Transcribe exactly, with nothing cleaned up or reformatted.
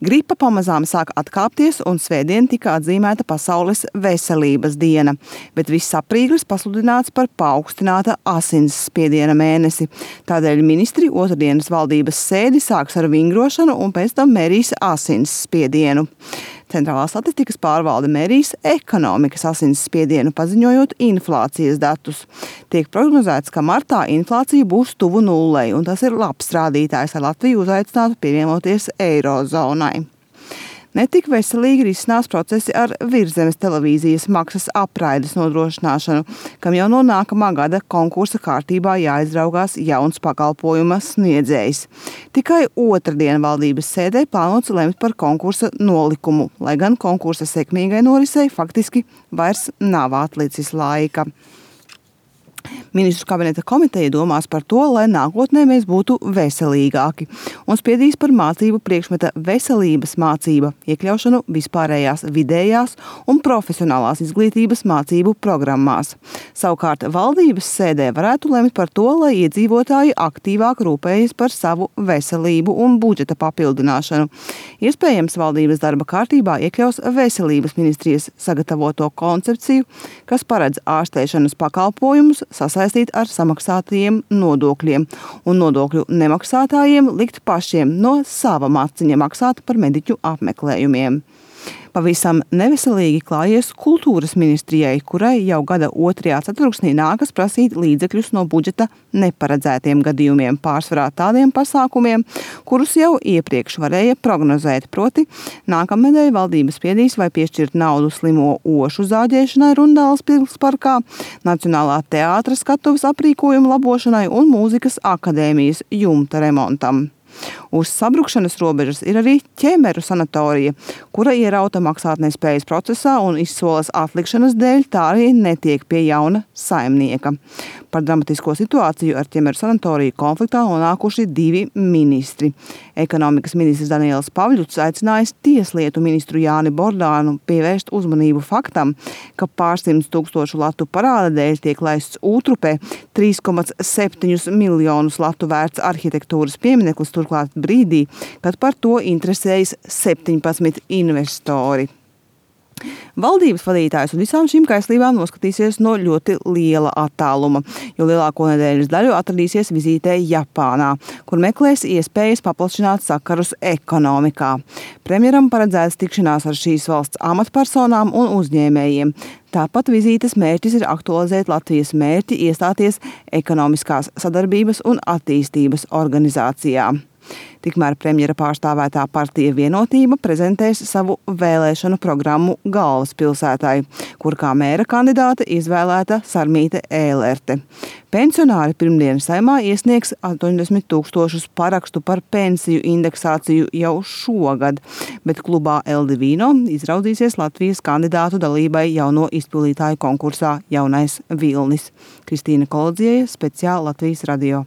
Gripa pamazām sāk atkāpties un svētdien tika atzīmēta Pasaules veselības diena, bet viss aprīlis pasludināts par paaugstināta asinsspiediena mēnesi. Tādēļ ministri otrdienas valdības sēdi sāks ar vingrošanu un pēc tam mērīs asinsspiedienu. Centrālā statistikas pārvalde mērīs ekonomikas asinsspiedienu, paziņojot inflācijas datus. Tiek prognozēts, ka martā inflācija būs tuvu nullei, un tas ir labs rādītājs, lai Latviju uzaicinātu pievienoties eirozonai. Netik veselīgi risinās procesi ar Virszemes televīzijas maksas apraides nodrošināšanu, kam jau no nākamā gada konkursa kārtībā jāizraugās jauns pakalpojuma sniedzējs. Tikai otrdien valdības sēdē plānots lemt par konkursa nolikumu, lai gan konkursa sekmīgai norisei faktiski vairs nav atlicis laika. Ministru kabineta komiteja domās par to, lai nākotnē mēs būtu veselīgāki un spiedīs par mācību priekšmeta veselības mācība iekļaušanu vispārējās vidējās un profesionālās izglītības mācību programmās. Savukārt valdības sēdē varētu lemt par to, lai iedzīvotāji aktīvāk rūpējas par savu veselību un budžeta papildināšanu. Iespējams, valdības darba kārtībā iekļaus veselības ministrijas sagatavoto koncepciju, kas paredz ārstēšanas pakalpojumus sasaistīt ar samaksātajiem nodokļiem un nodokļu nemaksātājiem likt pašiem no sava maciņa maksāt par mediķu apmeklējumiem. Pavisam neveselīgi klājies kultūras ministrijai, kurai jau gada otrajā ceturksnī nākas prasīt līdzekļus no budžeta neparedzētiem gadījumiem, pārsvarā tādiem pasākumiem, kurus jau iepriekš varēja prognozēt, proti nākamnedēļ valdības spiedīs vai piešķirt naudu slimo ošu zāģēšanai Rundāles pilsparkā, Nacionālā teātra skatuves aprīkojuma labošanai un mūzikas akadēmijas jumta remontam. Uz sabrukšanas robežas ir arī ķemeru sanatorija, kura ierauta maksātnespējas procesā un izsoles atlikšanas dēļ tā arī netiek pie jauna saimnieka. Par dramatisko situāciju ar ķemeru sanatoriju konfliktā nonākuši divi ministri. Ekonomikas ministrs Daniels Pavļuts aicinājis tieslietu ministru Jāni Bordānu pievērst uzmanību faktam, ka pārsimts tūkstošu latu parāda dēļ tiek laists Ūtrupē trīs komats septiņus miljonus latu vērts arhitektūras piemineklis, turklāt brīdī, kad par to interesējas septiņpadsmit investori. Valdības vadītājs un visām šīm kaislībām noskatīsies no ļoti liela attāluma, jo lielāko nedēļas daļu atradīsies vizītē Japānā, kur meklēs iespējas paplašināt sakarus ekonomikā. Premjeram paredzēts tikšanās ar šīs valsts amatpersonām un uzņēmējiem. Tāpat vizītes mērķis ir aktualizēt Latvijas mērķi iestāties ekonomiskās sadarbības un attīstības organizācijā. Tikmēr premjera pārstāvētā partija Vienotība prezentēs savu vēlēšanu programmu galvaspilsētai, kur kā mēra kandidāte izvēlēta Sarmīte Ēlerte. Pensionāri pirmdien Saeimā iesniegs astoņdesmit tūkstošus parakstu par pensiju indeksāciju jau šogad, bet klubā El Divino izraudzīsies Latvijas kandidātu dalībai jauno izpildītāju konkursā Jaunais Vilnis. Kristīna Kolodzieja, speciāli Latvijas radio.